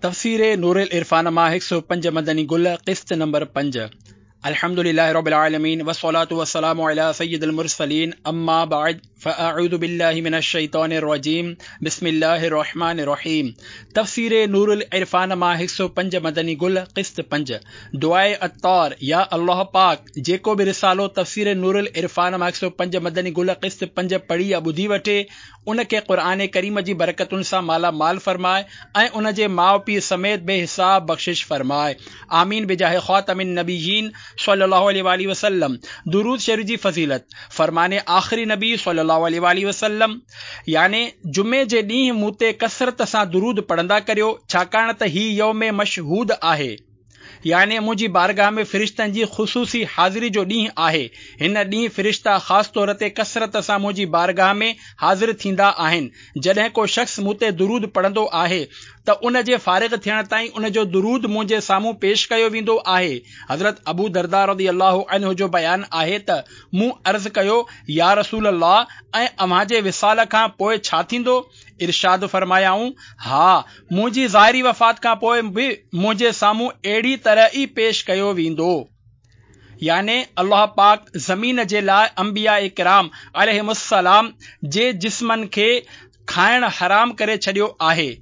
تفسير نورالعرفان مان هڪ سؤ پنج مدني گل قسط نمبر پنج الحمد لله رب العالمين والصلاة والسلام على سيد المرسلين اما بعد فاعوذ بالله من الشيطان الرجيم بسم الله الرحمن الرحيم تفسير نورالعرفان مان هڪ سؤ پنج مدني گل قسط پنج دعاء عطار يا الله پاڪ جيڪو به رسالو تفسير نورالعرفان مان هڪ سؤ پنج مدني گل قسط پنج پڙهي يا ٻڌي وٺي ان کي قرآن ڪريم جي برڪتن سان مالا مال فرماء ۽ ان جي ماء پيء سميت بي حساب بخشش فرماء آمين بجاه خاتم النبيين صلي الله عليه واٰله وسلم درود شريف جي فضيلت فرمان آخري نبي صلي الله عليه واٰله وسلم يعني جمعي جي ڏينهن مون تي ڪثرت سان درود پڙهندا ڪريو ڇاڪاڻ ته هي يوم مشهود آهي. يعني منهنجي بارگاهه ۾ فرشتن جي خصوصي حاضري جو ڏينهن آهي. هن ڏينهن فرشتا خاص طور تي ڪثرت سان منهنجي بارگاهه ۾ حاضر ٿيندا آهن. جڏهن ڪو شخص مون تي درود پڙهندو آهي ته ان جي فارغ ٿيڻ تائين ان جو درود منهنجي سامهون پيش ڪيو ويندو آهي. حضرت ابو درداء رضي الله عنه جو بيان آهي ته مون عرض ڪيو، يا رسول الله! ۽ اوهان جي وصال کان پوء ڇا ٿيندو؟ ارشاد فرمايائون، ها، منهنجي ظاهري وفات کان پوء به منهنجي سامهون اهڙي طرح ئي پيش ڪيو ويندو. يعني الله پاڪ زمين جي لاء انبياء ڪرام عليهم السلام جي جسمن کي کائڻ حرام ڪري ڇڏيو آهي.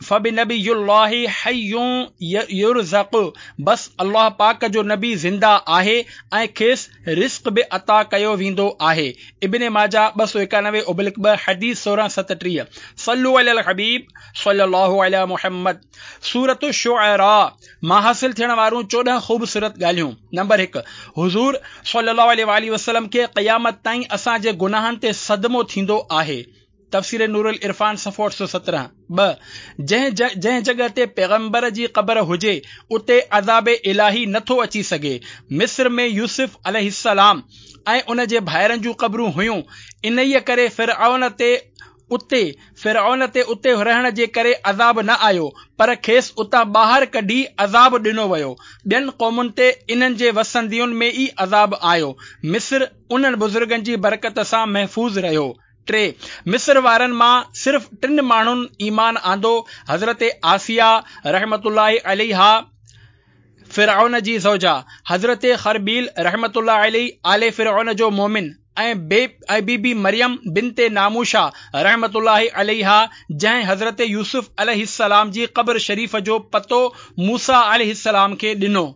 فبنبي الله حي يرزق بس الله پاڪ جو نبي زنده آهي ۽ کيس رزق به عطا ڪيو ويندو آهي. ابن ماجه 291 ابلڪ 2 حديث 1637 صلو علی الحبيب صلي الله علي محمد سورة الشعراء مان حاصل ٿيڻ وارون 14 خوبصورت ڳالهيون نمبر 1 حضور صلي الله عليه واٰله وسلم کي قيامت تائين اسان جي گناهن تي صدمو ٿيندو آهي تفسير نورالعرفان صفحو 817 2 جنهن جنهن جڳهه تي پيغمبر جي قبر هجي اتي عذاب الاهي نه ٿو اچي سگهي. مصر ۾ يوسف عليه السلام ۽ ان جي ڀائرن جون قبرون هيون انهيء ڪري فرعون تي اتي فرعون تي اتي رهڻ جي ڪري عذاب نه آيو پر کيس اتان ٻاهر ڪڍي عذاب ڏنو ويو. ٻين قومن تي انهن جي وسندين ۾ ئي عذاب آيو. مصر انهن بزرگن جي برڪت سان محفوظ رهيو. 3، مصر وارن مان صرف ٽن ماڻهن ايمان آندو، حضرت آسيه رحمة الله عليها، فرعون جي زوجه، حضرت خربيل رحمة الله عليه، آل فرعون جو مؤمن، ۽ بي بي مريم بنت ناموشه رحمة الله عليها، جنهن حضرت يوسف عليه السلام جي قبر شريف جو پتو موسيٰ عليه السلام کي ڏنو.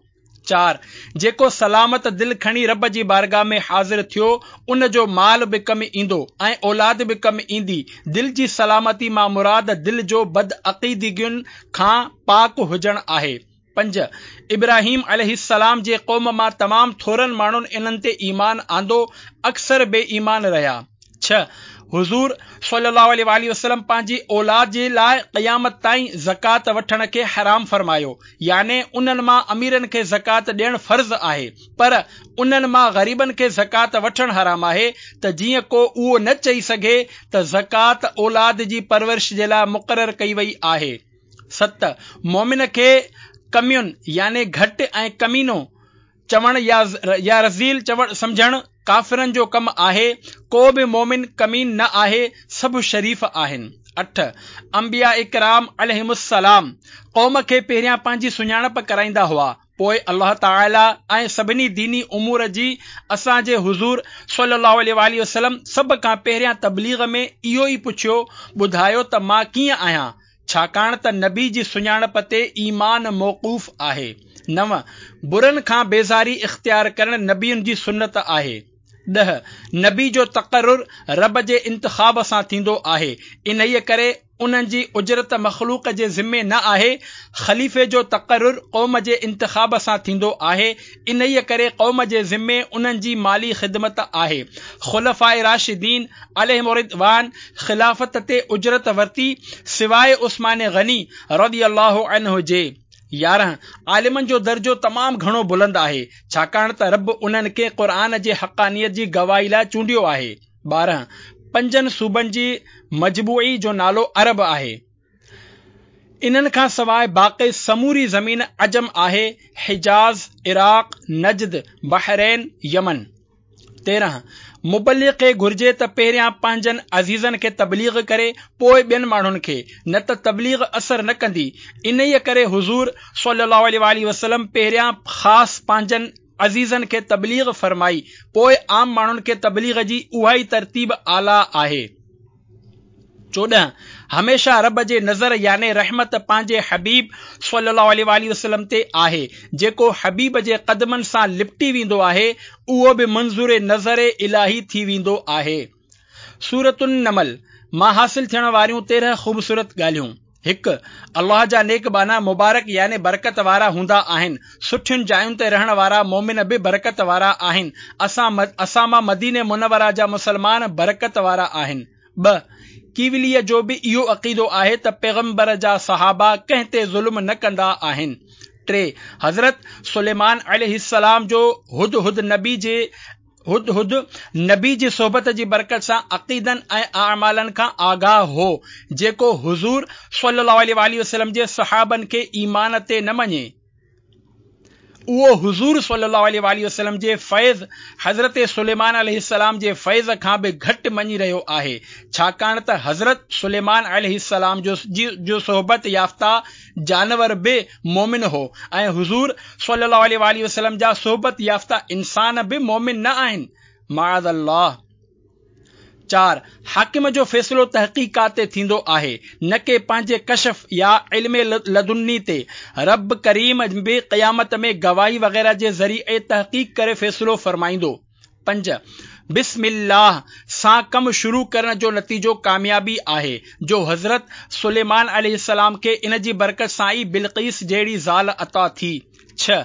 4، جيڪو سلامت دل کڻي رب جي بارگاهه ۾ حاضر ٿيو، ان جو مال به ڪم ايندو ۽ اولاد به ڪم ايندي. دل جي سلامتي مان مراد دل جو بدعقيدگين کان پاڪ هجڻ آهي. 5، ابراهيم عليه السلام جي قوم مان تمام ٿورن ماڻهن انهن تي ايمان آندو، اڪثر بي ايمان رهيا. 6، حضور صلي الله عليه واٰله وسلم پنهنجي اولاد جي لاء قيامت تائين زڪوات وٺڻ کي حرام فرمايو، يعني انهن مان اميرن کي زڪوات ڏيڻ فرض آهي، پر انهن مان غريبن کي زڪوات وٺڻ حرام آهي ته جيئن ڪو اهو نه چئي سگهي ته زڪوات اولاد جي پرورش جي لاء مقرر ڪئي وئي آهي. 7، مؤمن کي ڪميون يعني گهٽ ۽ ڪمينو چوڻ يا رذيل چوڻ سمجهڻ ڪافرن جو ڪم آهي، ڪو به مؤمن ڪمين نه آهي، سڀ شريف آهن. 8، انبياء ڪرام عليهم السلام قوم کي پهريان پنهنجي سڃاڻپ ڪرائيندا هئا، پوء الله تعالي ۽ سڀني ديني امور جي اسان جي حضور صلي الله عليه واٰله وسلم سڀ کان پهريان تبليغ ۾ اهو ئي پڇيو، ٻڌايو ته مان ڪيئن آهيان؟ ڇاڪاڻ ته نبي جي سڃاڻپ تي ايمان موقوف آهي. 9، برن کان بيزاري اختيار ڪرڻ نبين جي سنت آهي. 10، نبي جو تقرر رب جي انتخاب سان ٿيندو آهي، انهيء ڪري انهن جي اجرت مخلوق جي ذمي نه آهي، خليفي جو تقرر قوم جي انتخاب سان ٿيندو آهي، انهيء ڪري قوم جي ذمي انهن جي مالي خدمت آهي. خلفاء راشدين عليهم الرضوان خلافت تي اجرت ورتي سواء عثمان غني رضي الله عنه جي. 11، عالمن جو درجو تمام گهڻو بلند آهي، ڇاڪاڻ ته رب انهن کي قرآن جي حقانيت جي گواهي لاء چونڊيو آهي. 12، پنجن صوبن جي مجموعي جو نالو عرب آهي. انهن کان سواء باقي سموري زمين عجم آهي، حجاز، عراق، نجد، بحرين، يمن. 13، مبلغ کي گهرجي ته پهريان پنهنجن عزيزن کي تبليغ ڪري، پوء ٻين ماڻهن کي، نه ته تبليغ اثر نه ڪندي. انهيء ڪري حضور صلي الله عليه واٰله وسلم پهريان خاص پنهنجن عزيزن کي تبليغ فرمائي، پوء عام ماڻهن کي تبليغ جي اها ئي ترتيب اعليٰ آهي. 14، هميشه رب جي نظر يعني رحمت پنهنجي حبيب صلّي الله عليه واٰله وسلّم تي آهي، جيڪو حبيب جي قدمن سان لپٽي ويندو آهي، اهو به منظور نظر الاهي ٿي ويندو آهي. سورة النمل مان حاصل ٿيڻ واريون 13 خوبصورت ڳالهيون. هڪ، الله جا نيڪ ٻانها مبارڪ يعني برڪت وارا هوندا آهن. سٺين جاين تي رهڻ وارا مؤمن به برڪت وارا آهن. اسان اسان مان مديني منوره جا مسلمان برڪت وارا آهن. ٻه، ڪيوليء جو به اهو عقيدو آهي ته پيغمبر جا صحابه ڪنهن تي ظلم نه ڪندا آهن. ٽي، حضرت سليمان عليه السلام جو هدهد نبي جي هدهد نبي جي صحبت جي برڪت سان عقيدن ۽ اعمالن کان آگاهه هو، جيڪو حضور صلي الله عليه واٰله وسلم جي صحابن کي ايمان تي نه مڃي، اهو حضور صلي الله عليه واٰله وسلم جي فيض حضرت سليمان عليه السلام جي فيض کان به گهٽ مڃي رهيو آهي، ڇاڪاڻ ته حضرت سليمان عليه السلام جو صحبت يافته جانور به مؤمن هو ۽ حضور صلي الله عليه واٰله وسلم جا صحبت يافته انسان به مؤمن نه آهن معاذ الله. 4، حاڪم جو فيصلو تحقيقات تي ٿيندو آهي نه ڪي پنهنجي ڪشف يا علم لدني تي. رب ڪريم به قيامت ۾ گواهي وغيره جي ذريعي تحقيق ڪري فيصلو فرمائيندو. 5، بسم الله سان ڪم شروع ڪرڻ جو نتيجو ڪاميابي آهي، جو حضرت سليمان عليه السلام کي ان جي برڪت سان ئي بلقيس جهڙي زال عطا ٿي. 6،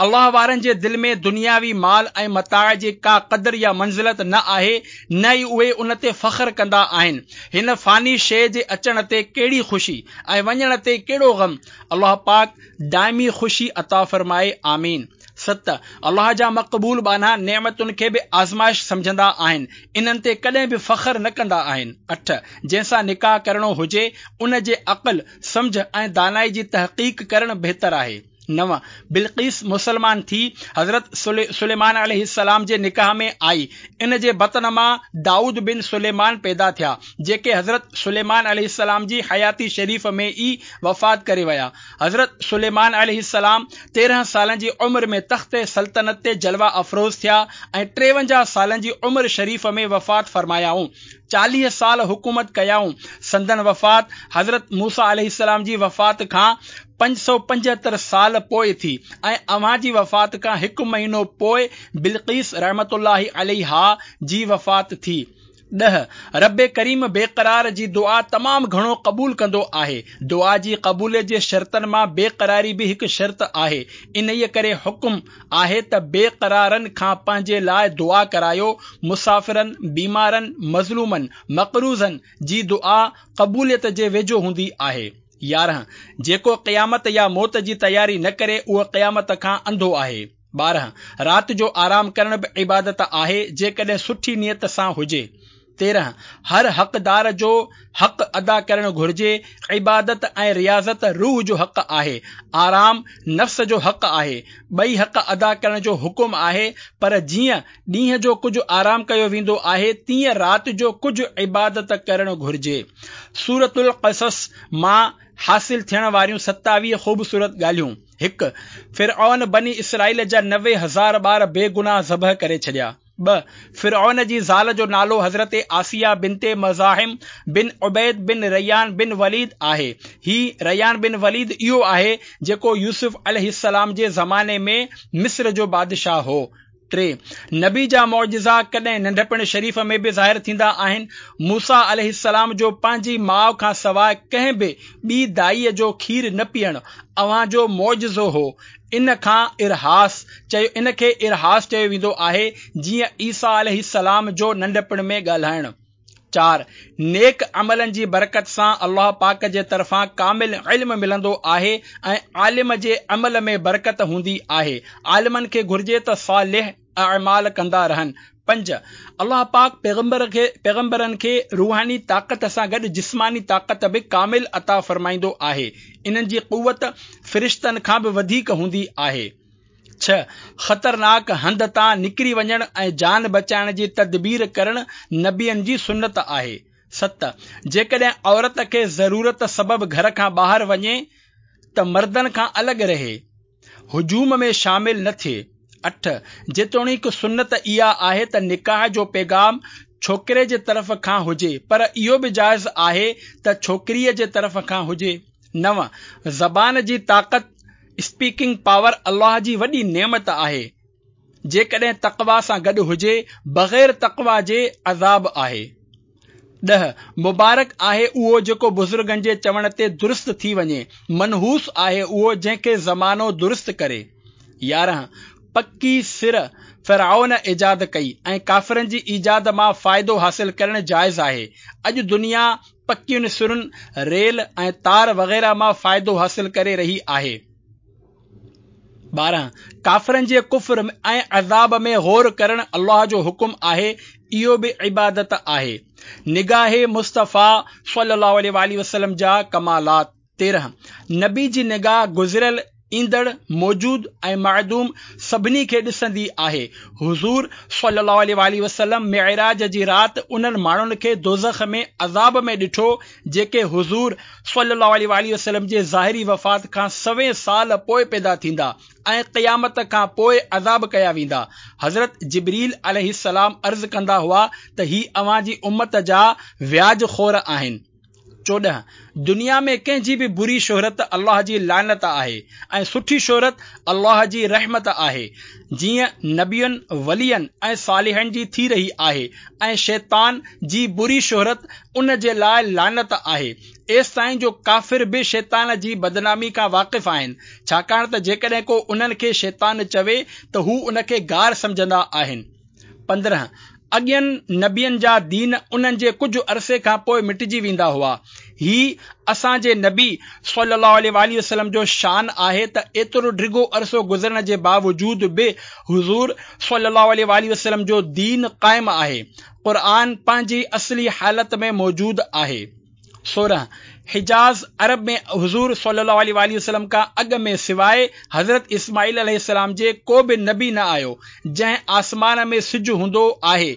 الله وارن جي دل ۾ دنياوي مال ۽ متاع جي ڪا قدر يا منزلت نه آهي، نه ئي اهي ان تي فخر ڪندا آهن. هن فاني شيء جي اچڻ تي ڪهڙي خوشي ۽ وڃڻ تي ڪهڙو غم؟ الله پاڪ دائمي خوشي عطا فرمائي. آمين. 7، الله جا مقبول ٻانها نعمتن کي به آزمائش سمجهندا آهن، انهن تي ڪڏهن به فخر نه ڪندا آهن. 8، جنهن سان نڪاح ڪرڻو هجي، ان جي عقل، سمجهه ۽ دانائي جي تحقيق ڪرڻ بهتر آهي. 9، بلقيس مسلمان ٿي حضرت سليمان عليه السلام جي نڪاح ۾ آئي، ان جي بطن مان دائود بن سليمان پيدا ٿيا، جيڪي حضرت سليمان عليه السلام جي حياتي شريف ۾ ئي وفات ڪري ويا. حضرت سليمان عليه السلام 13 سالن جي عمر ۾ تخت سلطنت تي جلوه افروز ٿيا ۽ 53 سالن جي عمر شريف ۾ وفات فرمايائون. 40 سال حڪومت ڪيائون. سندن وفات حضرت موسيٰ عليه السلام جي وفات کان 575 سال پوء ٿي ۽ اوهان جي وفات کان هڪ مهينو پوء بلقيس رحمة الله عليها جي وفات ٿي. 10، رب ڪريم بيقرار جي دعا تمام گهڻو قبول ڪندو آهي. دعا جي قبوليت جي شرطن مان بيقراري به هڪ شرط آهي. انهيء ڪري حڪم آهي ته بيقرارن کان پنهنجي لاء دعا ڪرايو. مسافرن، بيمارن، مظلومن، مقروضن جي دعا قبوليت جي ويجهو هوندي آهي. 11، جيڪو قيامت يا موت جي تياري نه ڪري اهو قيامت کان انڌو آهي. 12، رات جو آرام ڪرڻ به عبادت آهي، جيڪڏهن سٺي نيت سان هجي. 13، هر حقدار جو حق ادا ڪرڻ گهرجي، عبادت ۽ رياضت روح جو حق آهي، آرام نفس جو حق آهي، ٻئي حق ادا ڪرڻ جو حڪم آهي، پر جيئن ڏينهن جو ڪجهه آرام ڪيو ويندو آهي، تيئن رات جو ڪجهه عبادت ڪرڻ گهرجي. سورة القصص مان حاصل ٿيڻ واريون 27 خوبصورت ڳالهيون. هڪ، فرعون بني اسرائيل جا 90 هزار ٻار بي گناهه ذبح ڪري ڇڏيا. 2، فرعون جي زال جو نالو حضرت آسيه بنت مزاحم بن عبيد بن ريان بن وليد آهي. هي ريان بن وليد اهو آهي، جيڪو يوسف عليه السلام جي زماني ۾ مصر جو بادشاهه هو. 3، نبي جا معجزا ڪڏهن ننڍپڻ شريف ۾ به ظاهر ٿيندا آهن. موسيٰ عليه السلام جو پنهنجي ماء کان سواء ڪنهن به ٻي دائيء جو کير نه پيئڻ اوهان جو معجزو هو. ان کان ارهاص چيو ان کي ارهاص چيو ويندو آهي جيئن عيسيٰ عليه السلام جو ننڍپڻ ۾ ڳالهائڻ. 4، نيڪ عملن جي برڪت سان الله پاڪ جي طرفان ڪامل علم ملندو آهي ۽ عالم جي عمل ۾ برڪت هوندي آهي. عالمن کي گهرجي ته صالح اعمال ڪندا رهن. 5، الله پاڪ پيغمبر کي پيغمبرن کي روحاني طاقت سان گڏ جسماني طاقت به ڪامل عطا فرمائيندو آهي. انهن جي قوت فرشتن کان به وڌيڪ هوندي آهي. ڇهه، خطرناڪ هنڌ تان نڪري وڃڻ ۽ جان بچائڻ جي تدبير ڪرڻ نبين جي سنت آهي. ست، جيڪڏهن عورت کي ضرورت سبب گهر کان ٻاهر وڃي ته مردن کان الڳ رهي، هجوم ۾ شامل نه ٿئي. اٺ، جيتوڻيڪ سنت اها آهي ته نڪاح جو پيغام ڇوڪري جي طرف کان هجي پر اهو به جائز آهي ته ڇوڪريء جي طرف کان هجي. نو، زبان جي طاقت، Speaking Power، الله جي وڏي نعمت آهي، جيڪڏهن تقويٰ سان گڏ هجي، بغير تقويٰ جي عذاب آهي. ڏهه، مبارڪ آهي اهو جيڪو بزرگن جي چوڻ تي درست ٿي وڃي، منحوس آهي اهو جنهن کي زمانو درست ڪري. 11، پڪي سر فرعون ايجاد ڪئي ۽ ڪافرن جي ايجاد مان فائدو حاصل ڪرڻ جائز آهي. اڄ دنيا پڪين سرن، ريل ۽ تار وغيره مان فائدو حاصل ڪري رهي آهي. 12، ڪافرن جي ڪفر ۽ عذاب ۾ غور ڪرڻ الله جو حڪم آهي، اهو به عبادت آهي. نگاهه مصطفيٰ صلي الله عليه واٰله وسلم جا ڪمالات. 13، نبي جي نگاهه گذريل، ايندڙ، موجود ۽ معدوم سڀني کي ڏسندي آهي. حضور صلي الله عليه واٰله وسلم معراج جي رات انهن ماڻهن کي دوزخ ۾ عذاب ۾ ڏٺو جيڪي حضور صلي الله عليه واٰله وسلم جي ظاهري وفات کان سوين سال پوء پيدا ٿيندا ۽ قيامت کان پوء عذاب ڪيا ويندا. حضرت جبريل عليه السلام عرض ڪندا هئا ته هي اوهان جي امت جا وياج خور آهن. 14، دنيا ۾ ڪنهن جي به بري شهرت الله جي لعنت آهي ۽ سٺي شهرت الله جي رحمت آهي، جيئن نبين، ولين ۽ صالحن جي ٿي رهي آهي ۽ شيطان جي بري شهرت ان جي لاء لعنت آهي، ايستائين جو ڪافر به شيطان جي بدنامي کان واقف آهن، ڇاڪاڻ ته جيڪڏهن ڪو انهن کي شيطان چوي ته هو ان کي گار سمجهندا آهن. 15، اڳين نبين جا دين انهن جي ڪجهه عرصي کان پوء مٽجي ويندا هئا. هي اسان جي نبي صلي الله عليه واٰله وسلم جو شان آهي ته ايترو ڊگهو عرصو گذرڻ جي باوجود به حضور صلي الله عليه واٰله وسلم جو دين قائم آهي. قرآن پنهنجي اصلي حالت ۾ موجود آهي. 16، حجاز عرب ۾ حضور صلي الله عليه واٰله وسلم کان اڳ ۾ سواء حضرت اسماعيل عليه السلام جي ڪو به نبي نه آيو، جنهن آسمان ۾ سج هوندو آهي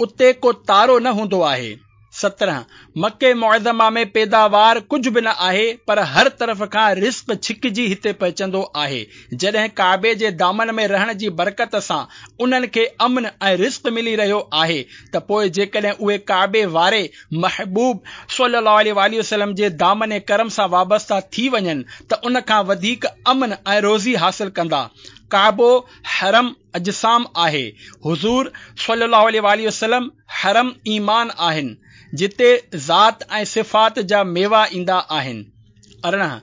اتي ڪو تارو نه هوندو آهي. 17، مڪي معظمه ۾ پيداوار ڪجهه به نه آهي پر هر طرف کان رزق ڇڪجي هتي پهچندو آهي، جڏهن ڪعبي جي دامن ۾ رهڻ جي برڪت سان انهن کي امن ۽ رزق ملي رهيو آهي ته پوء جيڪڏهن اهي ڪعبي واري محبوب صلّي اللّٰه عليه واٰله وسلّم جي دامن ڪرم سان وابسته ٿي وڃن ته ان کان وڌيڪ امن ۽ روزي حاصل ڪندا. ڪعبو حرم اجسام آهي، حضور صلّي اللّٰه عليه واٰله وسلّم حرم ايمان آهن، جتي ذات ۽ صفات جا ميوا ايندا آهن. 18،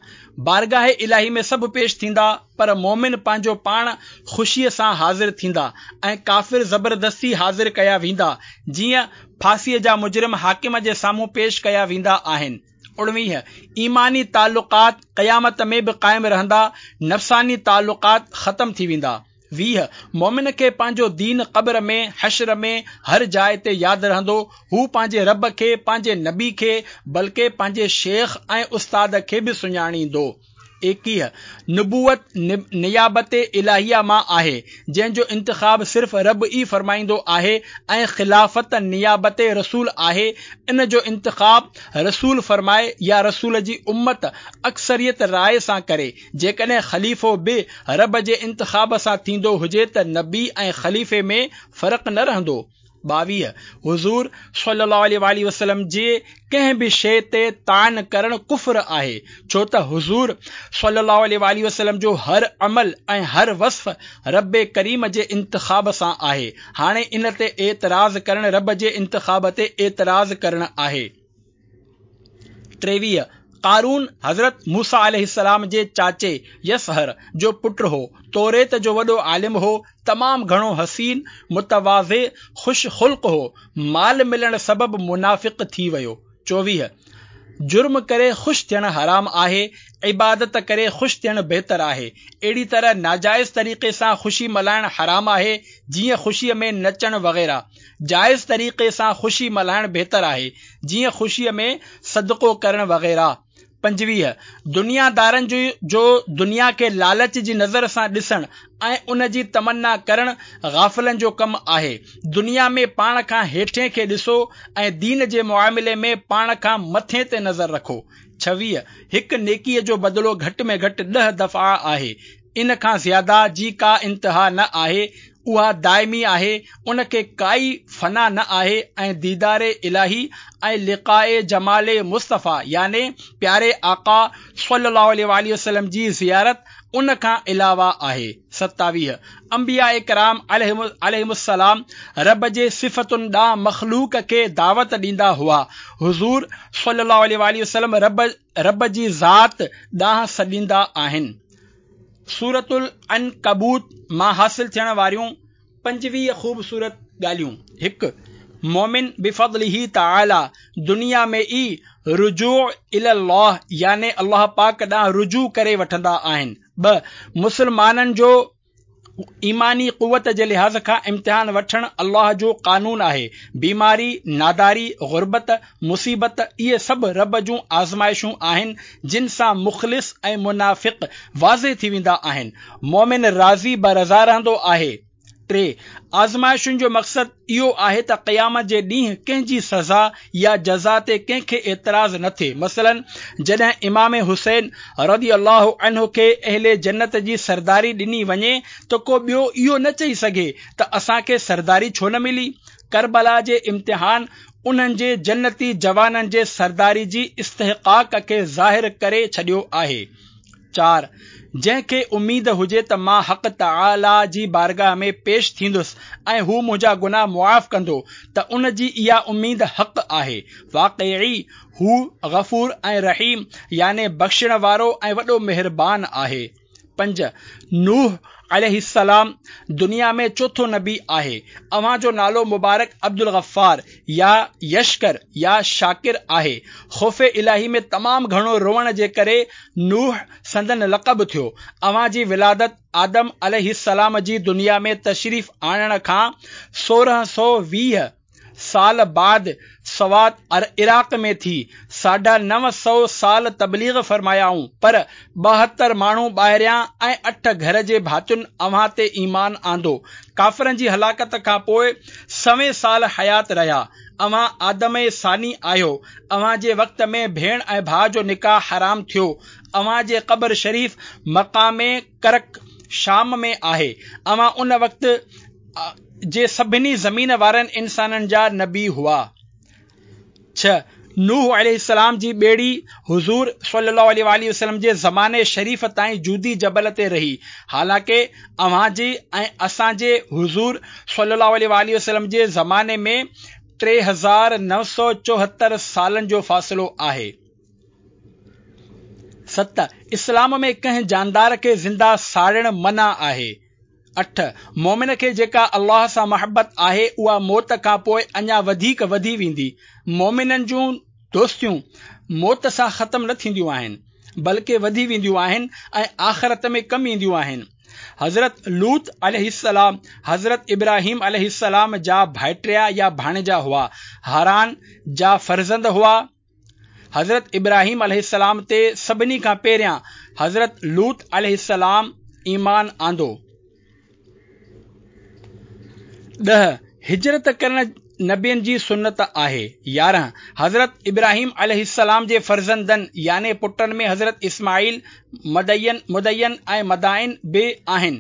بارگاهه الاهي ۾ سڀ پيش ٿيندا، پر مؤمن پنهنجو پاڻ خوشيء سان حاضر ٿيندا ۽ ڪافر زبردستي حاضر ڪيا ويندا، جيئن ڦاسيء جا مجرم حاڪم جي سامهون پيش ڪيا ويندا آهن. 19، ايماني تعلقات قيامت ۾ به قائم رهندا، نفساني تعلقات ختم ٿي ويندا. 20، مؤمن کي پنهنجو دين قبر ۾، حشر ۾، هر جاء تي ياد رهندو، هو پنهنجي رب کي، پنهنجي نبي کي، بلڪه پنهنجي شيخ ۽ استاد کي به سڃاڻيندو. 21، نبوت نيابت الاهيه مان آهي، جنهن جو انتخاب صرف رب ئي فرمائيندو آهي ۽ خلافت نيابت رسول آهي، ان جو انتخاب رسول فرمائي يا رسول جي امت اڪثريت راء سان ڪري، جيڪڏهن خليفو به رب جي انتخاب سان ٿيندو هجي ته نبي ۽ خليفي ۾ فرق نه رهندو. 22، حضور صلي الله عليه واٰله وسلم جي ڪنهن به شيء تي طعن ڪرڻ ڪفر آهي، ڇو ته حضور صلي الله عليه واٰله وسلم جو هر عمل ۽ هر وصف رب ڪريم جي انتخاب سان آهي، هاڻي ان تي اعتراض ڪرڻ رب جي انتخاب تي اعتراض ڪرڻ آهي. 23، قارون حضرت موسيٰ عليه السلام جي چاچي يصهر جو پٽ هو. توريت جو وڏو عالم هو. تمام گهڻو حسين، متواضع، خوش خلق هو. مال ملڻ سبب منافق ٿي ويو. 24، جرم ڪري خوش ٿيڻ حرام آهي، عبادت ڪري خوش ٿيڻ بهتر آهي. اهڙي طرح ناجائز طريقي سان خوشي ملهائڻ حرام آهي، جيئن خوشيء ۾ نچڻ وغيره. جائز طريقي سان خوشي ملهائڻ بهتر آهي، جيئن خوشيء ۾ صدقو ڪرڻ وغيره. 25. دنيادارن جو دنيا کي لالچ جي نظر سان ڏسڻ ۽ ان جي تمنا ڪرڻ غافلن جو ڪم آهي. دنيا ۾ پاڻ کان هيٺين کي ڏسو ۽ دين جي معاملي ۾ پاڻ کان مٿين تي نظر رکو. 26. هڪ نيڪيء جو بدلو گهٽ ۾ گهٽ ڏهه دفعا آهي. ان کان زياده جي ڪا انتها نه آهي، اها دائمي آهي، ان کي ڪائي فنا نه آهي ۽ ديدار الاهي ۽ لقاء جمال مصطفيٰ يعني پياري آقا صلّي الله عليه واٰله وسلّم جي زيارت ان کان علاوه آهي. 27. انبياء ڪرام عليهم السلام رب جي صفتن ڏانهن مخلوق کي دعوت ڏيندا هئا. حضور صلّي الله عليه واٰله وسلّم رب جي ذات ڏانهن سڏيندا آهن. سورة العنڪبوت مان حاصل ٿيڻ واريون 25 خوبصورت ڳالهيون. هڪ. مؤمن بفضله تعاليٰ دنيا ۾ ئي رجوع الي الله يعني الله پاڪ ڏانهن رجوع ڪري وٺندا آهن. ٻه. مسلمانن جو ايماني قوت جي لحاظ کان امتحان وٺڻ الله جو قانون آهي. بيماري، ناداري، غربت، مصيبت اهي سڀ رب جون آزمائشون آهن جن سان مخلص ۽ منافق واضح ٿي ويندا آهن. مؤمن راضي برضا رهندو آهي. ٽي. آزمائشن جو مقصد اهو آهي ته قيامت جي ڏينهن ڪنهن جي سزا يا جزا تي ڪنهن کي اعتراض نه ٿئي. مثلاً جڏهن امام حسين رضي الله عنه کي اهل جنت جي سرداري ڏني وڃي ته ڪو ٻيو اهو نه چئي سگهي ته اسان کي سرداري ڇو نه ملي؟ ڪربلا جي امتحان انهن جي جنتي جوانن جي سرداري جي استحقاق کي ظاهر ڪري ڇڏيو آهي. چار، جنهن کي اميد هجي ته مان حق تعاليٰ جي بارگاهه ۾ پيش ٿيندس ۽ هو منهنجا گناهه معاف ڪندو ته ان جي اها اميد حق آهي. واقعي هو غفور ۽ رحيم يعني بخشڻ وارو ۽ وڏو مهربان آهي. پنج، نوح عليه السلام دنيا ۾ چوٿون نبي آهي. اوهان جو نالو مبارڪ عبدالغفار يا يشڪر يا شاڪر آهي. خوف الاهي ۾ تمام گهڻو روئڻ جي ڪري نوح سندن لقب ٿيو. اوهان جي ولادت آدم عليه السلام جي دنيا ۾ تشريف آڻڻ کان 1620 سال بعد سوات عراق ۾ ٿي. ساڍا 900 سال تبليغ فرمايائون، پر 72 ماڻهو ٻاهريان ۽ اٺ گهر جي ڀاتين اوهان تي ايمان آندو. ڪافرن جي هلاڪت کان پوء سوين سال حيات رهيا. اوهان آدم ثاني آهيو. اوهان جي وقت ۾ ڀيڻ ۽ ڀاء جو نڪاح حرام ٿيو. اوهان جي قبر شريف مقام ڪرڪ، شام ۾ آهي. اوهان ان وقت جي سڀني زمين وارن انسانن جا نبي هئا. ڇهه، نوح عليه السلام جي ٻيڙي حضور صلي الله عليه واٰله وسلم جي زماني شريف تائين جودي جبل تي رهي، حالانڪه اوهان جي ۽ اسان جي حضور صلي الله عليه واٰله وسلم جي زماني ۾ 3974 سالن جو فاصلو آهي. ست، اسلام ۾ ڪنهن جاندار کي زنده ساڙڻ منع آهي. اٺ، مؤمن کي جيڪا الله سان محبت آهي اها موت کان پوء اڃا وڌيڪ وڌي ويندي. مؤمنن جون دوستيون موت سان ختم نه ٿينديون آهن، بلڪه وڌي وينديون آهن ۽ آخرت ۾ ڪم اينديون آهن. حضرت لوط عليه السلام حضرت ابراهيم عليه السلام جا ڀائٽيا يا ڀاڻيجا هئا. هاران جا فرزند هئا. حضرت ابراهيم عليه السلام تي سڀني کان پهريان حضرت لوط عليه السلام ايمان آندو. ڏهه، هجرت ڪرڻ نبين جي سنت آهي. 11، حضرت ابراهيم عليه السلام جي فرزندن يعني پٽن ۾ حضرت اسماعيل، مدين، مدين ۽ مدائن به آهن.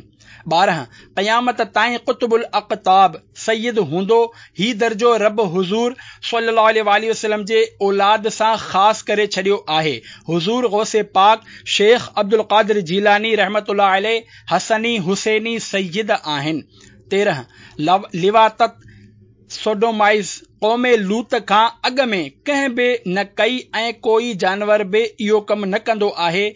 12، قيامت تائين قطب الاقطاب، سيد، هوندو، هي درجو رب حضور صلي الله عليه واٰله وسلم جي اولاد سان خاص ڪري ڇڏيو آهي. حضور غوث پاڪ شيخ عبدالقادر جيلاني رحمة الله عليه حسني حسيني سيد آهن. 13، لواطت، سوڊومائيز، قوم لوط کان اڳ ۾ ڪنهن به نه ڪئي ۽ ڪوئي جانور به اهو ڪم نه ڪندو آهي،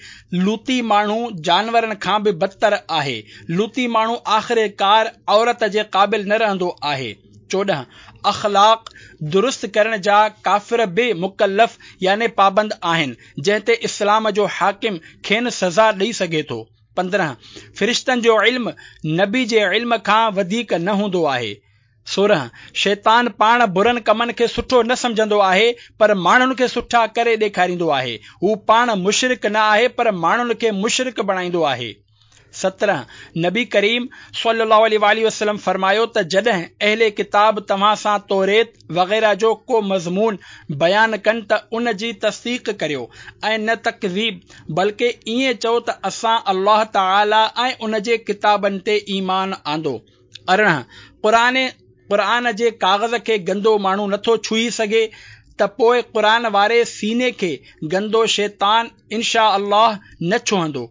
لوطي ماڻهو جانورن کان به بدتر آهي، لوطي ماڻهو آخرڪار عورت جي قابل نه رهندو آهي. 14. اخلاق درست ڪرڻ جا ڪافر به مڪلف يعني پابند آهن، جنهن تي اسلام جو حاڪم کين سزا ڏئي سگهي ٿو. 15. فرشتن جو علم نبي جي علم کان وڌيڪ نه هوندو آهي. 16، شيطان پاڻ برن ڪمن کي سٺو نه سمجهندو آهي، پر ماڻهن کي سٺا ڪري ڏيکاريندو آهي. هو پاڻ مشرڪ نه آهي، پر ماڻهن کي مشرڪ بڻائيندو آهي. 17، نبي ڪريم صلي الله عليه واٰله وسلم فرمايو ته جڏهن اهل ڪتاب توهان سان توريت وغيره جو ڪو مضمون بيان ڪن ته ان جي تصديق ڪريو ۽ نه تڪذيب بلڪه ائين چئو ته اسان الله تعالي ۽ ان جي ڪتابن تي ايمان آندو. 18، قرآن قرآن جي ڪاغذ کي گندو ماڻهو نٿو ڇهي سگهي ته پوء قرآن واري سيني کي گندو شيطان ان شاء الله نه ڇهندو.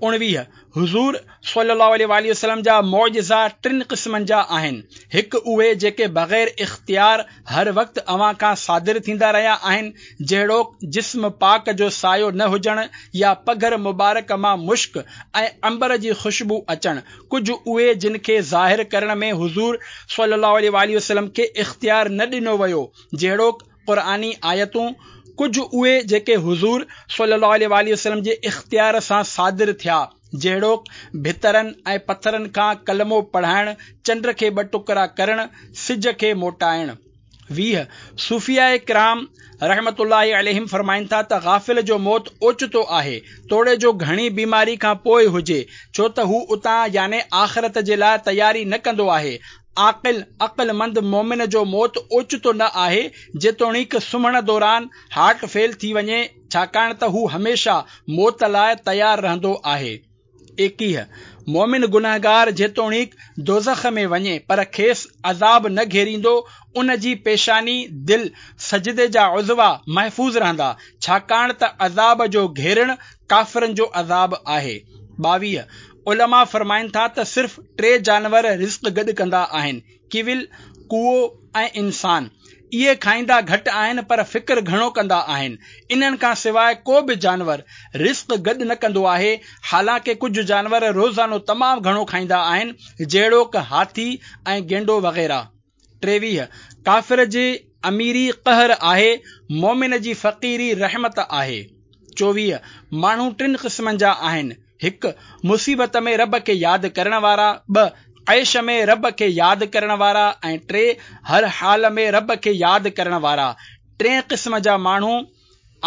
19، حضور صلي الله عليه واٰله وسلم جا معجزا ٽن قسمن جا آهن، هڪ اهي جيڪي بغير اختيار هر وقت اوهان کان صادر ٿيندا رهيا آهن، جهڙوڪ جسم پاڪ جو سايو نه هجڻ يا پگهر مبارڪ مان مشڪ ۽ عنبر جي خوشبو اچڻ، ڪجهه اهي جن کي ظاهر ڪرڻ ۾ حضور صلي الله عليه واٰله وسلم کي اختيار نه ڏنو ويو، جهڙوڪ قرآني آيتون، ڪجهه اهي جيڪي حضور صلي الله عليه واٰله وسلم جي اختيار سان صادر ٿيا، جهڙوڪ ڀترن ۽ پٿرن کان ڪلمو پڙهائڻ، چنڊ کي ٻه ٽڪرا ڪرڻ، سج کي موٽائڻ. 20، صوفياء ڪرام رحمة الله عليهم فرمائن ٿا ته غافل جو موت اوچتو آهي، توڙي جو گهڻي بيماري کان پوء هجي، ڇو ته هو اتان يعني آخرت جي لاء تياري نه ڪندو آهي. عاقل، عقلمند، مؤمن جو موت اوچتو نه آهي، جيتوڻيڪ سمهڻ دوران هارٽ فيل ٿي وڃي، ڇاڪاڻ ته هو هميشه موت لاء تيار رهندو آهي. 21، مؤمن گنهگار جيتوڻيڪ دوزخ ۾ وڃي پر کيس عذاب نه گهيريندو، ان جي پيشاني، دل، سجدي جا عضوا محفوظ رهندا، ڇاڪاڻ ته عذاب جو گهيرڻ ڪافرن جو عذاب آهي. 22، علماء فرمائن ٿا ته صرف ٽي جانور رزق گڏ ڪندا آهن، ڪيول، ڪوئو ۽ انسان. اهي کائيندا گهٽ آهن پر فڪر گهڻو ڪندا آهن. انهن کان سواء ڪو به جانور رزق گڏ نه ڪندو آهي، حالانڪه ڪجهه جانور روزانو تمام گهڻو کائيندا آهن، جهڙوڪ هاٿي ۽ گينڊو وغيره. 23، ڪافر جي اميري قهر آهي، مؤمن جي فقيري رحمت آهي. 24، ماڻهو ٽن قسمن جا آهن، هڪ، مصيبت ۾ رب کي ياد ڪرڻ وارا، ٻه، عيش ۾ رب کي ياد ڪرڻ وارا ۽ ٽي، هر حال ۾ رب کي ياد ڪرڻ وارا. ٽئين قسم جا ماڻهو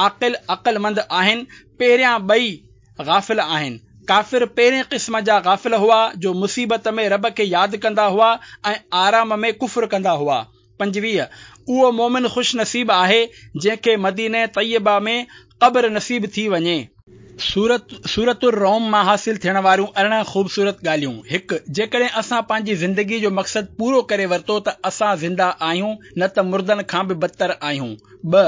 عاقل، عقلمند، آهن، پهريان ٻئي غافل آهن. ڪافر پهرين قسم جا غافل هئا جو مصيبت ۾ رب کي ياد ڪندا هئا ۽ آرام ۾ ڪفر ڪندا هئا. 25، اهو مؤمن خوش نصيب آهي جنهن کي مدينه طيبه ۾ قبر نصيب ٿي وڃي. سورة سورة الروم مان حاصل ٿيڻ واريون 18 خوبصورت ڳالهيون، هڪ. جيڪڏهن اسان پنهنجي زندگي جو مقصد پورو ڪري ورتو ته اسان زنده آهيون نه ته مردن کان به بدتر آهيون. ٻه.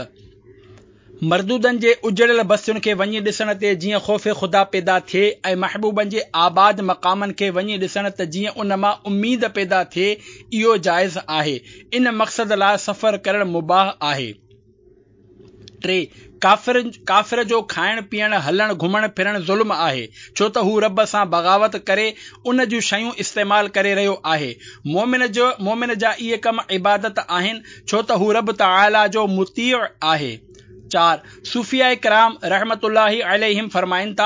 مردودن جي اجڙيل بستين کي وڃي ڏسڻ تي جيئن خوف خدا پيدا ٿئي ۽ محبوبن جي آباد مقامن کي وڃي ڏسڻ ته جيئن ان مان اميد پيدا ٿئي اهو جائز آهي. ان مقصد لاء سفر ڪرڻ مباح آهي. 3، ڪافر ڪافر جو کائڻ پيئڻ هلڻ گهمڻ ڦرڻ ظلم آهي ڇو ته هو رب سان بغاوت ڪري ان جون شيون استعمال ڪري رهيو آهي. مؤمن جو مؤمن جا اهي ڪم عبادت آهن ڇو ته هو رب تعاليٰ جو مطيع آهي. 4، صوفياء ڪرام رحمة الله عليهم فرمائن ٿا،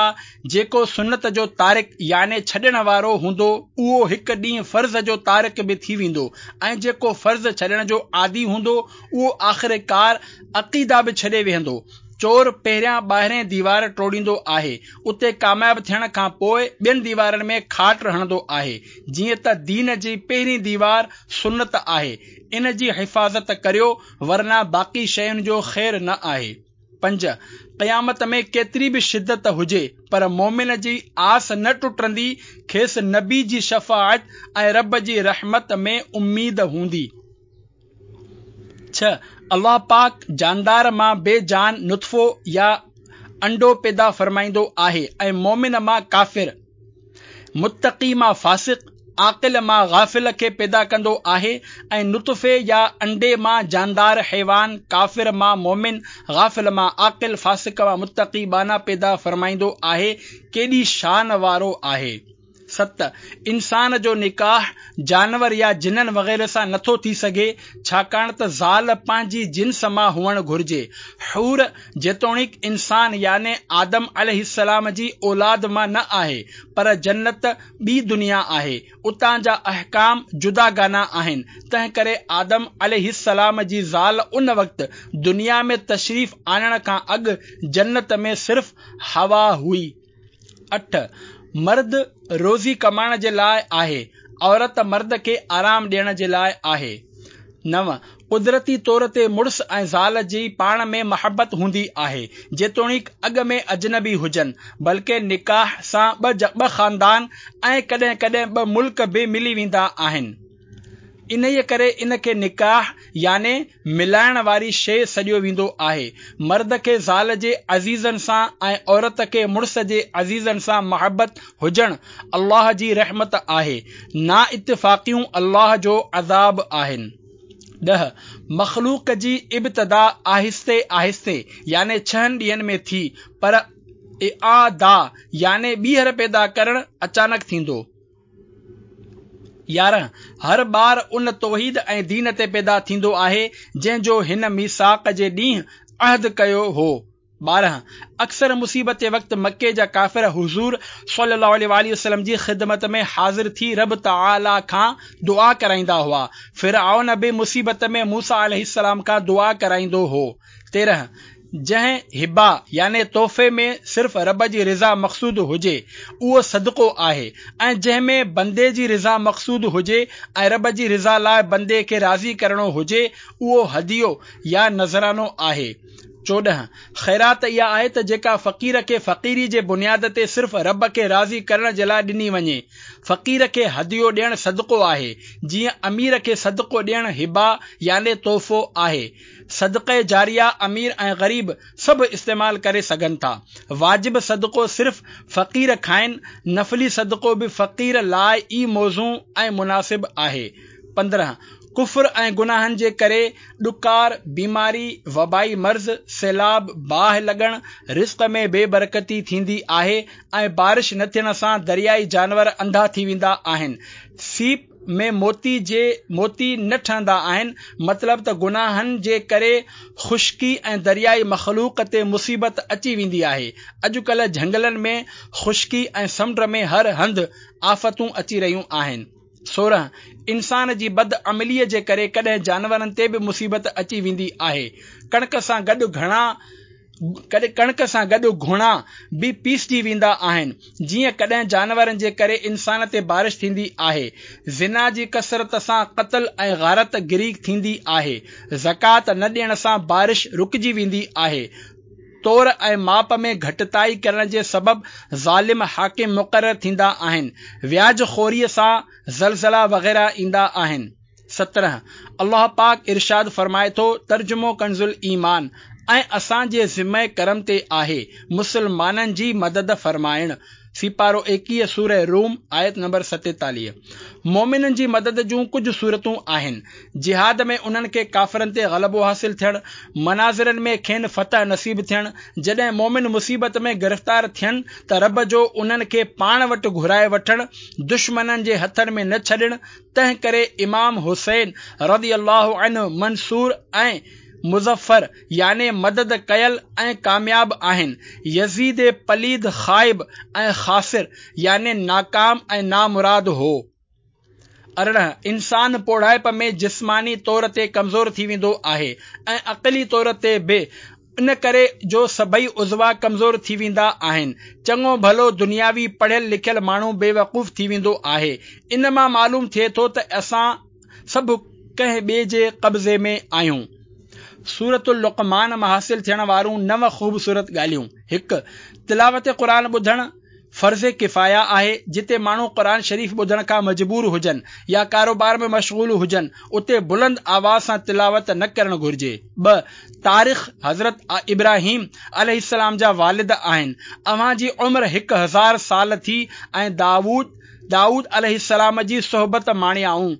جيڪو سنت جو تارڪ يعني ڇڏڻ وارو هوندو اهو هڪ ڏينهن فرض جو تارڪ به ٿي ويندو ۽ جيڪو فرض ڇڏڻ جو عادي هوندو اهو آخرڪار عقيده به ڇڏي ويهندو. چور پهريان ٻاهرين ديوار ٽوڙيندو آهي، اتي ڪامياب ٿيڻ کان پوء ٻين ديوارن ۾ کاٽ هڻندو آهي. جيئن ته دين جي پهرين ديوار سنت آهي، ان جي حفاظت ڪريو ورنه باقي شين جو خير نه آهي. 5، قيامت ۾ ڪيتري به شدت هجي پر مؤمن جي آس نه ٽٽندي کيس نبي جي شفاعت ۽ رب جي رحمت ۾ اميد هوندي. 6، الله پاڪ جاندار مان بي جان نطفو يا انڊو پيدا فرمائيندو آهي ۽ مؤمن مان ڪافر، متقي مان فاسق، عاقل مان غافل کي پيدا ڪندو آهي ۽ نطفي يا انڊي مان جاندار حيوان، ڪافر مان مؤمن، غافل مان عاقل، فاسق مان متقي ٻانها پيدا فرمائيندو آهي، ڪيڏي شان وارو آهي. 7، انسان جو نڪاح جانور يا جنن وغيره سان نٿو ٿي سگهي، ڇاڪاڻ ته زال پنهنجي جنس مان هئڻ گهرجي. حور جيتوڻيڪ انسان يعني آدم عليه السلام جي اولاد مان نه آهي، پر جنت ٻي دنيا آهي، اتان جا احڪام جداگانه آهن، تنهنڪري آدم عليه السلام جي زال ان وقت دنيا ۾ تشريف آڻڻ کان اڳ جنت ۾ صرف حوا هئي. 8، مرد روزي ڪمائڻ جي لاء آهي، عورت مرد کي آرام ڏيڻ جي لاء آهي. 9، قدرتي طور تي مڙس ۽ زال جي پاڻ ۾ محبت هوندي آهي، جيتوڻيڪ اڳ ۾ اجنبي هجن، بلڪه نڪاح سان ٻه خاندان ۽ ڪڏهن ڪڏهن ٻه ملڪ به ملي ويندا آهن. انهيء ڪري ان کي نڪاح يعني ملائڻ واري شيء سڏيو ويندو آهي. مرد کي زال جي عزيزن سان ۽ عورت کي مڙس جي عزيزن سان محبت هجڻ الله جي رحمت آهي. نااتفاقيون الله جو عذاب آهن. 10، مخلوق جي ابتدا آهستي آهستي يعني ڇهن ڏينهن ۾ ٿي، پر اعاده يعني ٻيهر پيدا ڪرڻ اچانڪ ٿيندو. 11، هر ٻار ان توحيد ۽ دين تي پيدا ٿيندو آهي، جنهن جو هن ميثاق جي ڏينهن عهد ڪيو هو. 12، اڪثر مصيبت وقت مڪي جا ڪافر حضور صلي الله عليه واٰله وسلم جي خدمت ۾ حاضر ٿي رب تعاليٰ کان دعا ڪرائيندا هئا. فرعون به مصيبت ۾ موسيٰ عليه السلام کان دعا ڪرائيندو هو. 13، جنهن هبه يعني تحفي ۾ صرف رب جي رضا مقصود هجي، اهو صدقو آهي ۽ جنهن ۾ بندي جي رضا مقصود هجي ۽ رب جي رضا لاء بندي کي راضي ڪرڻو هجي، اهو هديو يا نذرانو آهي. 14، خيرات اها آهي ته جيڪا فقير کي فقيري جي بنياد تي صرف رب کي راضي ڪرڻ جي لاء ڏني وڃي. فقير کي هديو ڏيڻ صدقو آهي، جيئن امير کي صدقو ڏيڻ هبه يعني تحفو آهي. صدقه جاريه امير ۽ غريب سڀ استعمال ڪري سگهن ٿا. واجب صدقو صرف فقير کائن، نفلي صدقو به فقير لاء ئي موزون ۽ مناسب آهي. 15. ڪفر ۽ گناهن جي ڪري ڏڪار، بيماري، وبائي مرض، سيلاب، باهه لڳڻ، رزق ۾ بي برڪتي ٿيندي آهي ۽ بارش نه ٿيڻ سان دريائي جانور انڌا ٿي ويندا آهن. سيپ ۾ موتي جي موتي نه ٺهندا آهن، مطلب ته گناهن جي ڪري خشڪي ۽ دريائي مخلوق تي مصيبت اچي ويندي آهي. اڄڪلهه جهنگلن ۾ خشڪي ۽ سمنڊ ۾ هر هنڌ آفتون اچي رهيون آهن. 16، انسان جي بد عمليء جي ڪري ڪڏهن جانورن تي به مصيبت اچي ويندي آهي. ڪڻڪ سان گڏ گهڻا ڪڻڪ سان گڏ گهوڻا به پيسجي ويندا آهن، جيئن ڪڏهن جانورن جي ڪري انسان تي بارش ٿيندي آهي. زنا جي ڪثرت سان قتل ۽ غارت گري ٿيندي آهي. زڪوات نه ڏيڻ سان بارش رڪجي ويندي آهي. تور ۽ ماپ ۾ گهٽتائي ڪرڻ جي سبب ظالم حاڪم مقرر ٿيندا آهن. وياج خوريء سان زلزلا وغيره ايندا آهن. 17، الله پاڪ ارشاد فرمائي ٿو، ترجمو ڪنزالايمان، ۽ اسان جي ذمه ڪرم تي آهي مسلمانن جي مدد فرمائڻ، سيپارو 21 سوره روم آيت نمبر 47. مؤمنن جي مدد جون ڪجهه صورتون آهن، جهاد ۾ انهن کي ڪافرن تي غلبو حاصل ٿيڻ، مناظرن ۾ کين فتح نصيب ٿيڻ، جڏهن مؤمن مصيبت ۾ گرفتار ٿين ته رب جو انهن کي پاڻ وٽ گهرائي وٺڻ، دشمنن جي هٿن ۾ نه ڇڏڻ، تنهن ڪري امام حسين رضي الله عنه منصور ۽ مظفر يعني مدد ڪيل ۽ ڪامياب آهن، يزيد پليد خائب ۽ خاسر يعني ناڪام ۽ نامراد هو. 18، انسان پوڙهائپ ۾ جسماني طور تي ڪمزور ٿي ويندو آهي ۽ عقلي طور تي به، ان ڪري جو سڀئي عضوا ڪمزور ٿي ويندا آهن. چڱو ڀلو دنياوي پڙهيل لکيل ماڻهو بيوقوف ٿي ويندو آهي. ان مان معلوم ٿئي ٿو ته اسان سڀ ڪنهن ٻئي جي قبضي ۾ آهيون. سورة اللقمان مان حاصل ٿيڻ وارون نو خوبصورت ڳالهيون، هڪ. تلاوت قرآن ٻڌڻ. فرض ڪفايه آهي، جتي ماڻهو قرآن شريف ٻڌڻ کان مجبور هجن يا ڪاروبار ۾ مشغول هجن، اتي بلند آواز سان تلاوت نه ڪرڻ گهرجي. ٻه. تارخ حضرت ابراهيم عليه السلام جا والد آهن. اوهان جي عمر 1000 سال ٿي ۽ دائود دائود عليه السلام جي صحبت ماڻيائون.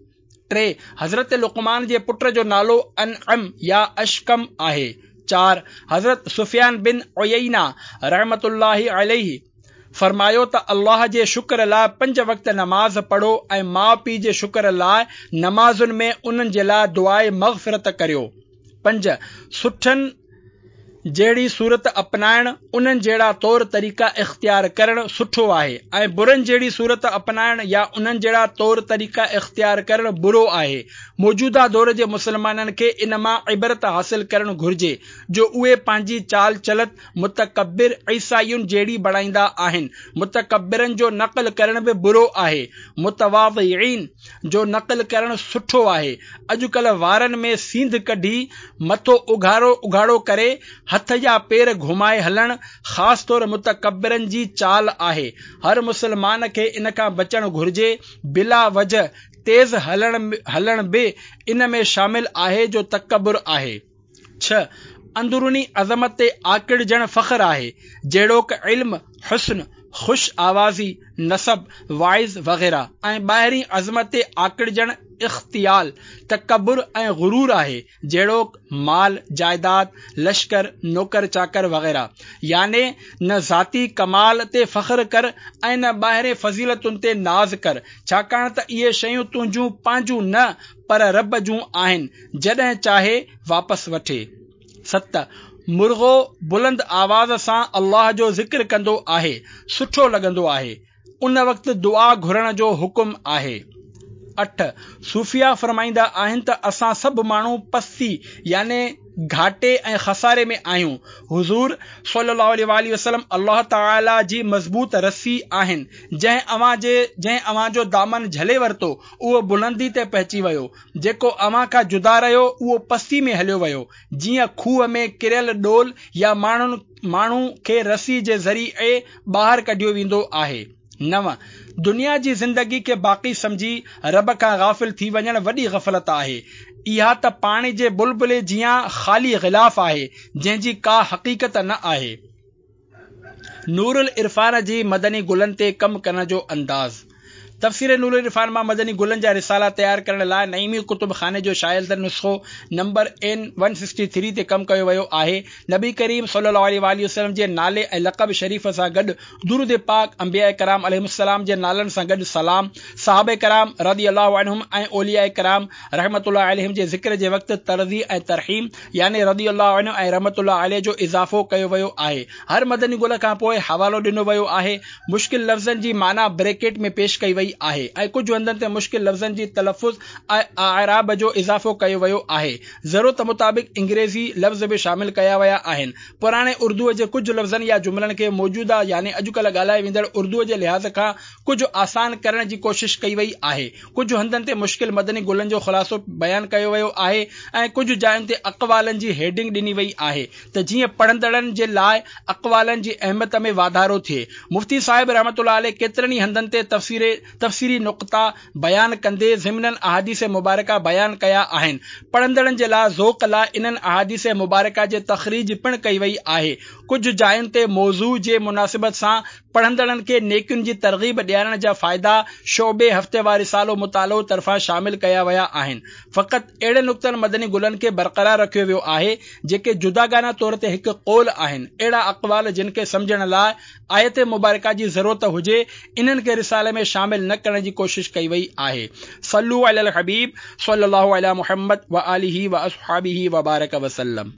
3، حضرت لقمان جي پٽ جو نالو انعم يا اشڪم آهي. 4، حضرت سفيان بن عيينه رحمة الله عليه فرمايو ته الله جي شڪر لاء پنج وقت نماز پڙهو ۽ ماء پيء جي شڪر لاء نمازن ۾ انهن جي لاء دعاء مغفرت ڪريو. پنج، سٺن جهڙي صورت اپنائڻ، انهن جهڙا طور طريقا اختيار ڪرڻ سٺو آهي ۽ برن جهڙي صورت اپنائڻ يا انهن جهڙا طور طريقا اختيار ڪرڻ برو آهي. موجوده دور جي مسلمانن کي ان مان عبرت حاصل ڪرڻ گهرجي جو اهي پنهنجي چال چلت متڪبر عيسائين جهڙي بڻائيندا آهن. متڪبرن جو نقل ڪرڻ به برو آهي. متواضعين جو نقل ڪرڻ سٺو آهي. اڄڪلهه وارن ۾ سينڌ ڪڍي، مٿو اگهاڙو اگهاڙو ڪري، هٿ يا پير گهمائي هلڻ، خاص طور متڪبرن جي چال آهي. هر مسلمان کي ان کان بچڻ گهرجي. بلا وجه تيز هلڻ به ان ۾ شامل آهي جو تڪبر آهي. ڇهه، اندروني عظمت تي آڪڙجڻ فخر آهي، جهڙوڪ علم، حسن، خوش آوازي، نسب، واعظ وغيره ۽ ٻاهرين عظمت تي آڪڙجڻ اختيال، تڪبر ۽ غرور آهي، جهڙوڪ مال، جائداد، لشڪر، نوڪر چاڪر وغيره. يعني نه ذاتي ڪمال تي فخر ڪر ۽ نه ٻاهرين فضيلتن تي ناز ڪر، ڇاڪاڻ ته اهي شيون تنهنجون پنهنجون نه پر رب جون آهن، جڏهن چاهي واپس وٺي. ست، مرغو بلند آواز سان الله جو ذڪر ڪندو آهي، سٺو لڳندو آهي. ان وقت دعا گهرڻ جو حڪم آهي. اٺ، صوفياء فرمائيندا آهن ته اسان سڀ ماڻهو پستي يعني گهاٽي ۽ خساري ۾ آهيون. حضور صلي الله عليه واٰله وسلم الله تعالي جي مضبوط رسي آهن، جنهن اوهان جي جنهن اوهان جو دامن جهلي ورتو، اهو بلندي تي پهچي ويو، جيڪو اوهان کان جدا رهيو، اهو پستي ۾ هليو ويو، جيئن کوهه ۾ ڪريل ڏول يا ماڻهن ماڻهو کي رسي جي ذريعي ٻاهر ڪڍيو ويندو آهي. نو. دنيا جي زندگي کي باقي سمجهي رب کان غافل ٿي وڃڻ وڏي غفلت آهي. اها ته پاڻي جي بلبلي جيان خالي غلاف آهي، جنهن جي ڪا حقيقت نه آهي. نورالعرفان جي مدني گلن تي ڪم ڪرڻ جو انداز تفسير نورالعرفان مان مدني گلن جا رسالا تيار ڪرڻ لاء نعيمي ڪتب خاني جو شايع ٿيل نسخو number N one sixty three تي ڪم ڪيو ويو آهي. نبي ڪريم صلي الله عليه واٰله وسلم جي نالي ۽ لقب شريف سان گڏ درود پاڪ، انبياء ڪرام عليهم السلام جي نالن سان گڏ سلام، صحابه ڪرام رضي الله عنهم ۽ اولياء ڪرام رحمة الله عليهم جي ذڪر جي وقت ترضي ۽ ترحيم يعني رضي الله عنه ۽ رحمة الله عليه جو اضافو ڪيو ويو آهي. هر مدني گل کان پوء حوالو ڏنو ويو آهي. مشڪل لفظن جي معنيٰ بريڪيٽ ۾ پيش ڪئي وئي آهي ۽ ڪجهه هنڌن تي مشڪل لفظن جي تلفظ ۽ اعراب جو اضافو ڪيو ويو آهي. ضرورت مطابق انگريزي لفظ به شامل ڪيا ويا آهن. پراڻي اردوء جي ڪجهه لفظن يا جملن کي موجوده يعني اڄڪلهه ڳالهائي ويندڙ اردوء جي لحاظ کان ڪجهه آسان ڪرڻ جي ڪوشش ڪئي وئي آهي. ڪجهه هنڌن تي مشڪل مدني گلن جو خلاصو بيان ڪيو ويو آهي ۽ ڪجهه جاين تي اقوالن جي هيڊنگ ڏني وئي آهي ته جيئن پڙهندڙن جي لاء اقوالن جي اهميت ۾ واڌارو ٿئي. مفتي صاحب رحمة الله عليه ڪيترن ئي هنڌن تي تفسيري نقطا بيان ڪندي ضمناً احاديث مبارڪه بيان ڪيا آهن. پڙهندڙن جي لاء ذوق لاء انهن احاديث مبارڪه جي تخريج پڻ ڪئي وئي آهي. ڪجهه جاين تي موضوع جي مناسبت سان پڙهندڙن کي نيڪين جي ترغيب ڏيارڻ جا فائدا شعبي هفتيوار رسالو مطالعو طرفان شامل ڪيا ويا آهن. فقط اهڙن نڪتن مدني گلن کي برقرار رکيو ويو آهي جيڪي جداگانه طور تي هڪ قول آهن. اهڙا اقوال جن کي سمجهڻ لاء آيت مبارڪه جي ضرورت هجي انهن کي رسالي ۾ شامل نه ڪرڻ جي ڪوشش ڪئي وئي آهي. صلو علی الحبيب صلي الله علی محمد وآله واصحابه وبارڪ وسلم.